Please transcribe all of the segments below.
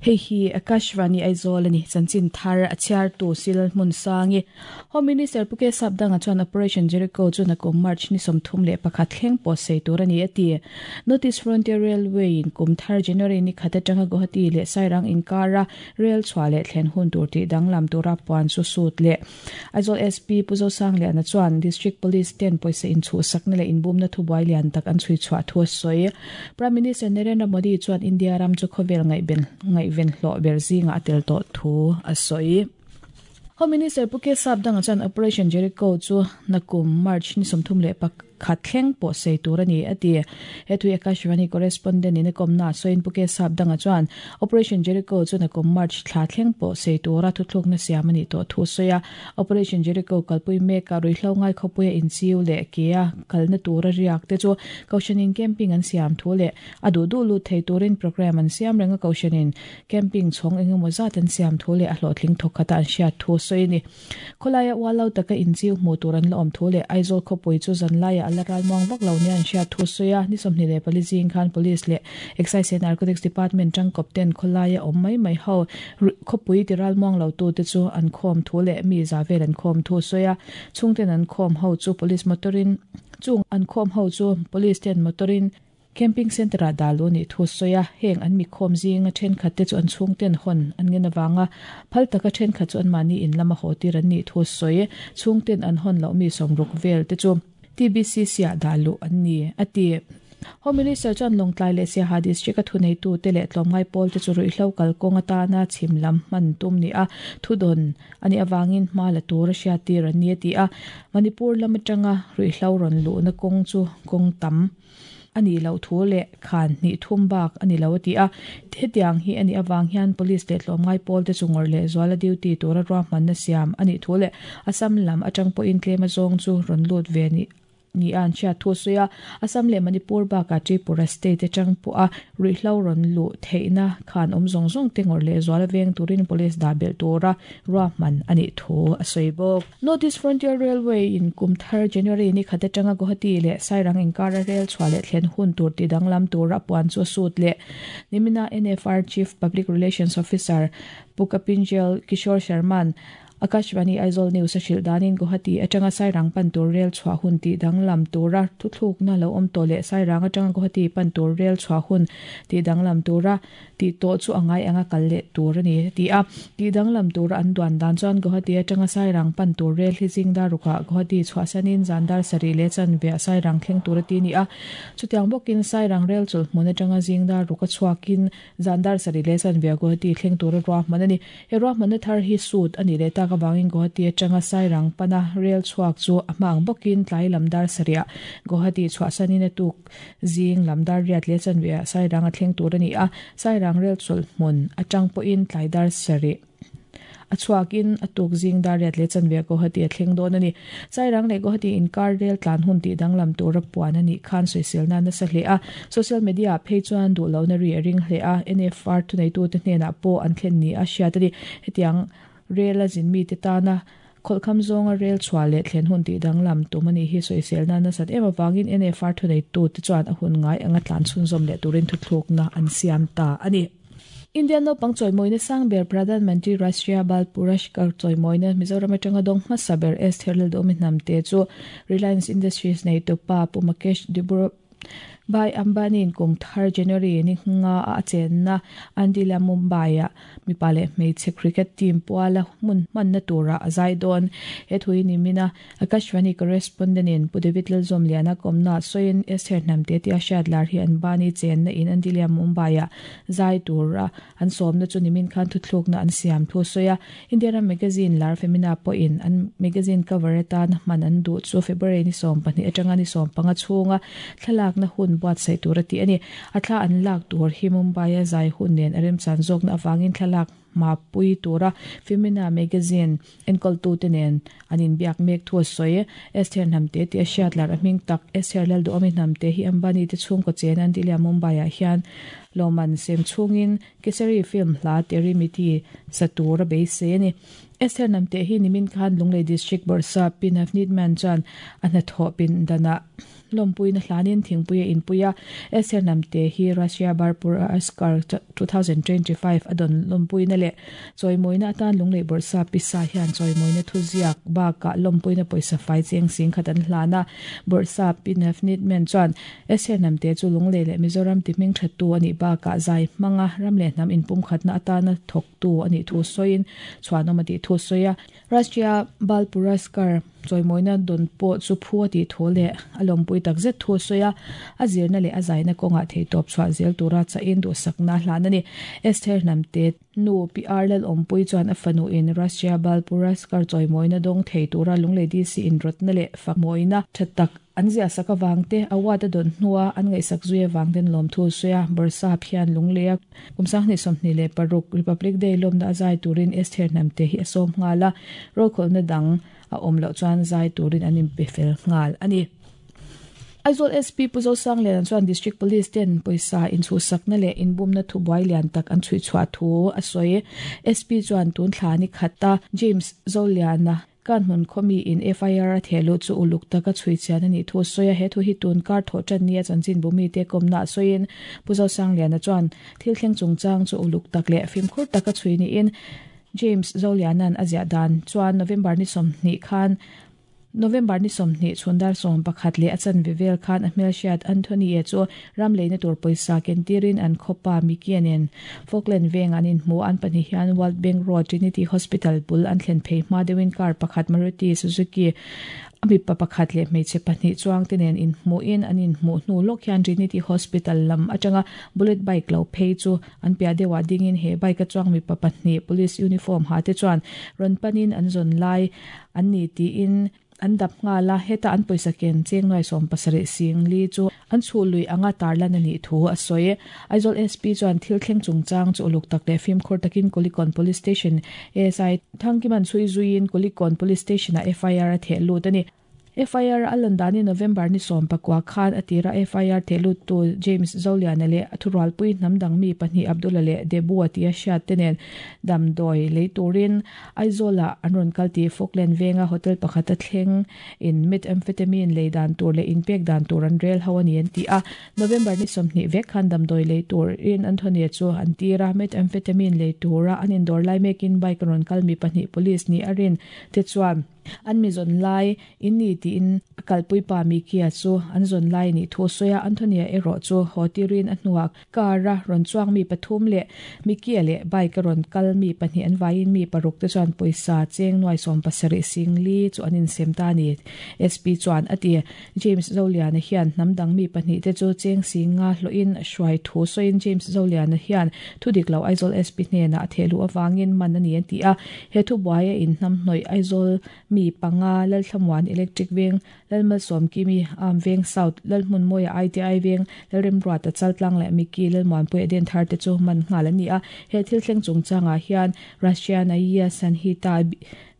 Hei hi Akashvani Aizawl a ni. Chanchin thar a chhiartu Sil Hmunsangi. Home Minister Pu K Sapdanga chuan Operation Jericho chu nakum March ni 31 thleng pawh sei tur a ni a ti. North East Frontier Railway in kum thar January ni khat atanga Guwahati leh Sairang inkara rail chhuah leh thlen hun tur tih danglam tura puan chu sut leh Aizawl SP Pu Zosangliana chuan District Police ten pawisa inchhuhsakna leh inbumna thubuai lian tak an chhui chhuah thu a sawi. Prime Minister Narendra Modi chuan India ram chu khawvel ngaihven hlawh ber zingah a tel tawh thu a sawi. Home Minister Pu K Sapdanga chuan Operation Jericho chu nakum March ni 31 thleng pawh sei tur a ni, a ti. He thui Akashvani correspondent in a kawmna a sawiin Pu K Sapdanga chuan Operation Jericho chu nakum March thla thleng pawh sei tura thuthlukna siam a nih tawh thu a sawi a. Operation Jericho kalpui mekah ruihhlo ngai khawpuia inchiu leh kea kalna tura riak te chu Kohhranin camping an siam thu leh a duh duh lut thei turin programme an siam reng a, Kohhranin camping chhawng engemaw zat an siam thu leh a hlawhtling thawk khata an hriat thu a sawi a ni. Khawlaia ual lo taka inchiu hmuh tur an la awm thu leh Aizawl khawpui chu zanlaiah a la ralmuang vak lo nia an hriat thu a sawi a, ni 24 zing khan Police leh Excise and Narcotics Department tangkawp ten khawlaia awm mai mai ho khawpui ti ralmuang lo tute chu an khawm thu leh mi za vel an khawm thu a sawi a, chhungten an khawm ho chu Police motor in chung an khawm ho chu Police ten motor in Camping Centre-ah dah luh a nih thu a sawi a, heng an mikhawm zinga thenkhat te chu an chhungten hawn an ngen avanga phal taka thenkhat chu anmahni in lama haw tir an nih thu a sawi. Chhungten an hawn loh mi sawmruk vel te chu TBCC-ah dah luh an ni, a ti. Home Minister chuan Lawngtlai leh Siaha District-a thuneitute leh tlawmngai pawl te chu ruihhlo kalkawng atana chhim lam hman tum ni a thudawn a nih avangin hma la tur a hriattir an ni, a ti a. Manipur lam atanga ruihhlo rawn luhna kawng chu kawng tam a nih loh thu leh khan hnih thum bak a ni lo a ti a. Hetiang hi a nih avang hian Police leh tlawmngai pawl te chu ngawrh leh zuala duty tura ruahmanna siam a nih thu leh Assam lam atang pawhin tlem azawng chu rawn lut ve ni ni a an hriat thu a sawi a. Assam leh Manipur bakah Tripura state atang pawha ruihhlo rawn luh theihna khan awm zawng zawng te ngawrh leh zuala veng turin Police dah belh tura ruahman a nih thu a sawi bawk. North East Frontier Railway in kum thar January ni khat atanga Guwahati leh Sairang inkara rel chhuah leh thlen hun tur ti danglam tura puan chu a sut leh. Nimina NFR Chief Public Relations Officer Pu Kapinjel Kishore Sharman Akashvani Aizawl News a hrilh danin Guwahati atanga Sairang pan tur rel chhuah hun tih danglam tura thuthlukna lo awm tawh leh Sairang atanga Guwahati pan tur rel chhuah hun tih danglam tura Tih tawh chu a ngai anga kal leh tur a ni, a ti a. Tih danglam tura an duan dan chuan Guwahati atanga Sairang pan tur rel hi zingdar rukah Guwahati chhuahsanin zandar sarih leh chanveah Sairang thleng tur a ti a ni a. Chutiang bawkin Sairang rel chawlh hmun atanga zingdar ruka chhuakin zandar sarih leh chanveah Guwahati thleng tura ruahman a ni. He ruahmanna thar hi sut a nih leh tak avangin Guwahati atanga Sairang pana rel chhuak chu a hma ang bawkin tlai lam dar sarihah Guwahati chhuahsanin a tuk Zing lam dar riat leh chanveah Sairang a thleng tur a ni a, Sairang rel chawlh hmun atang pawhin tlai dar sarih a chhuakin a tuk zing dar riat leh chanveah Guwahati a thleng dawn a ni. Sairang leh Guwahati inkar rel tlan hun tih danglam tura puan a nih khan sawiselna a nasa hle a, social media ah phei chuan duhlohna ri a ring hle a, NFR thuneitute hnenah pawh an thlen ni a hriat a ni. Hetiang rel a zin mite tana Khawlhkham zawnga rel chhuah leh thlen hun tih danglam tum a nih hi sawiselna nasat em avangin NFR thuneitute chuan a hun ngai anga tlan chhunzawm leh turin thuthlukna an siam ta a ni. Indian naupang chawimawina sang ber Pradhan Mantri Rashtriya Bal Puraskar chawimawina Mizoram atanga dawng hmasa ber Esther Lalduhawmi Hnamte chu Reliance Industries neitupa Pu Mukesh Dibru Bhai Ambani-in kum thar January ni nga a a chenna Andila Mumbai-ah mipa leh hmeichhe cricket team puala hmun hmanna turah a zai dawn. He thu hi nimina Akashvani correspondent-in Pu David Lalzawmliana kawmna sawiin Esther Hnamte tia hriat lar hi Ambani chenna in Andila Mumbai-ah zai tura an sawmna chu nimin khan thuthlukna an siam thu a sawi a. India ram magazine lar Femina pawhin an magazine cover atana hman an duh chu February ni 12 atanga ni 15 chhunga thlalakna hun buatsaih tur a ti a ni. A thla an lak tur hi Mumbai-a zai hun nen a remchan zawkna avangin thlalak hmapui tura Femina magazine enkawltute nen an inbiak mek thu a sawi. Esther Hnamte tih a hriat lar a hming tak Esther Lalduhawmi Hnamte hi Ambani te chhungkaw chen an tih leh Mumbai-ah hian lawmman sem chhungin Kesari film hla Teri Mitti sa tur a beisei a ni. Esther Namte hi nimin khan Lunglei District Bawrhsap Pi Navneet Mann chuan a hnathawh pindanah lawmpuina hlanin thingpui a inpui a. Esther Namte hi Russia Barpur Askar 2025 a dawn lawmpuina leh chawimawina atan Lunglei Bawrhsap Pi Sa hian chawimawina thuziak bakah lawmpuina pawisa fai cheng sing khat an hlan a. Bawrhsap Pi Navneet Mann chuan Esther Namte chu Lunglei leh Mizoram tihming thattu a nih bakah zai hmanga ram leh hnam inpumkhatna atana thawk tu a nih thu sawiin chhuanawm a tih thu sawi a. Rashtriya Bal Puraskar chawimawina dawn pawh chu phu a tih thu leh a lawmpui tak zet thu sawi a, a zirna leh a zaina kawngah theihtawp chhuah zel tura chahin duhsakna a hlan a ni. Esther Hnamte nu Pi R Lalawmpui chuan a fanuin Rashtriya Bal Puraskar chawimawina dawng thei tura Lunglei DC inrawtna leh fakmawina tha tak An ziah sak avang te, award a dawn hnua an ngaihsak zui avang ten lawmthu a sawi a, Bawrhsap hian Lungleia kum 2026 Republic Day lawmna a zai turin Esther Hnamte hi a sawm nghal a, rokhawlhna dang a awm loh chuan zai turin an inpe fel nghal a ni. Aizawl SP Pu Zosangliana chuan District Police ten pawisa inchhuhsakna leh inbumna thubuai lian tak an chhuihchhuah thu a sawi. SP chuan tun thla ni khata James Zoliana, Kan hmun khawmi in FIR a theh luh chu uluk taka chhui chian a nih thu a sawi a, he thu hi tun kar thawh tan nia chanchin bumite kawmna a sawiin Pu Zosangliana chuan thil thleng chungchang chu uluk tak leh fimkhur taka chhui niin James Zoliana'n a ziah dan chuan November ni 20 khan November ni 20 chhun dar 11 leh a chanve vel khan a hmelhriat Anthony-a chu Ram leina tur pawisa kentirin an khawpa Mikie nen Falkland veng an inhmu. An pahnih hian World Bank Road Trinity Hospital bul an thlen phei hma deuhin car pakhat Maruti Suzuki a mipa pakhat leh hmeichhe pahnih chuangte nen inhmuhin an inhmuh hnu lawk hian Trinity Hospital lam atanga bullet bike lo phei chu an piah deuhah dingin he bike a chuang mipa pahnih police uniform ha te chuan rawn panin an zawn lai an ni tiin An dap nghal a, heta an pawisa ken cheng nuai 70 sing li chu an chhuh lui anga tarlan a nih thu a sawi. Aizawl SP chuan thil thleng chungchang chu uluk tak leh fimkhur takin Kulikawn Police Station ASI Thangkiman chhui zuiin Kulikawn Police Station-ah FIR a theh lut a ni. FIR a lan danin November ni 19 khan a tira FIR theh luttu James Zoliana leh a thurualpui hnam dang mi pahnih Abdullah leh Debua tia hriat te nen damdawi lei turin Aizawlah an rawn kal tih Falkland venga hotel pakhata thleng in methamphetamine lei dan tur leh inpek dan tur an rel ho a ni an ti a. November ni 20 vek khan damdawi lei turin Anthony-a chu an tir a, methamphetamine lei tura an indawr lai mekin bike a rawn kal mi pahnih police nih a rin te chuan an mi zawn lai In ni tiin a kalpui pa Mikia chu an zawn lai nih thu a sawi a, Anthony-a erawh chu haw tirin a hnuah car a rawn chuang mi pathum leh Mikia leh bike a rawn kal mi pahnih an vaiin mi paruk te chuan pawisa cheng nuai 70 sing li chu an insem ta a ni, SP chuan a ti. James Zoliana hian hnam dang mi pahnih te chu cheng sing nga hlawhin a hruai thu sawiin James Zoliana hian thu dik lo Aizawl SP hnenah a theh luh avangin man a ni an ti a, he thubuai a inhnamhnawih Aizawl Mi panga, Lalthlamuan Electric Veng, Lalmalsawmkimi, Am Veng South, Lalhmunmawia ITI Veng, Lalremruata Chaltlang leh Mickey Lalmuanpui Eden thar te chu man nghal an ni a. He thil thleng chungchangah hian Russia Naiya Sanhita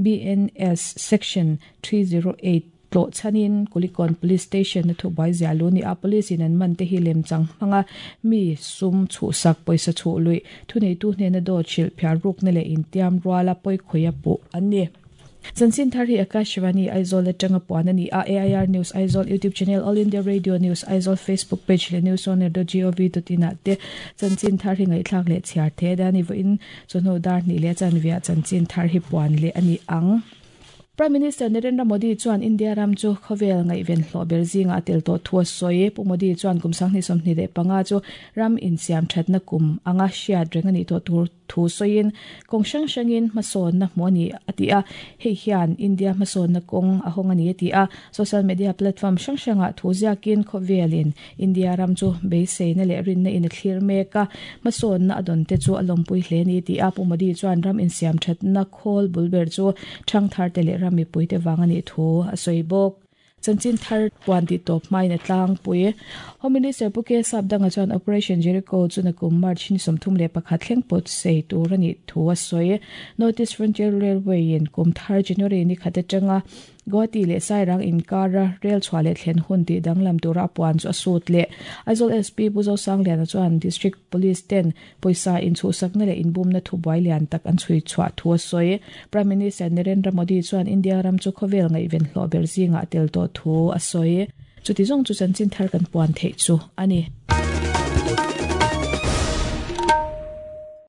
BNS Section 308 tlawh chhanin Kulikawn Police Station a thubuai ziah lu ni a. Police in an man te hi lemchang hmanga mi sum chhuhsak, pawisa chhuh luih, thuneitu hnena dawt hrilh phiar rukna leh intiam ruala pawikhawia puh an ni. Chanchin thar hi Akashvani Aizawl atanga puan a ni a, AIR News Aizawl YouTube channel, All India Radio News Aizawl Facebook page leh newsonair.gov.in ah te chanchin thar hi ngaihthlak leh chhiar the a ni. Vawiin chawhnu dar hnih leh chanviah chanchin thar hi puan leh a ni ang. Prime Minister Narendra Modi chuan India ram chu khawvel ngaihven hlawh ber zingah a tel tawh thu a sawi. Pu Modi chuan kum 2025 chu ram insiam thatna kum anga hriat reng a nih tawh tur thu sawiin kawng hrang hrangin hmasawnna hmuh a ni a ti a, hei hian India hmasawnna kawng a hawng a ni a ti a. Social media platform hrang hrangah thu ziakin khawvelin India ram chu beiseina leh rinna in a thlir mek a, hmasawnna a dawn te chu a lawmpui hle a ni a ti a. Pu Modi chuan ram insiamthatna khawl bul ber chu thangtharte leh ram mipuite vang a nih thu a sawi bawk. Chanchin thar puan tih tawp hmain a tlangpui. Home Minister Pu K Sapdanga chuan Operation Jericho chu nakum March ni 31 thleng pawt sei tur a nih thu a sawi. North East Frontier Railway in kum thar January ni khat atanga Guwahati leh Sairang inkara rel chhuah leh thlen hun tih danglam tura a puan chu a sut leh. Aizawl SP Pu Zosangliana chuan District Police ten pawisa inchhuhsakna leh inbumna thubuai lian tak an chhui chhuah thu a sawi. Prime Minister Narendra Modi chuan India ram chu khawvel ngaihven hlawh ber zingah a tel tawh thu a sawi. Chuti zawng chu chanchin thar kan puan theih chu a ni.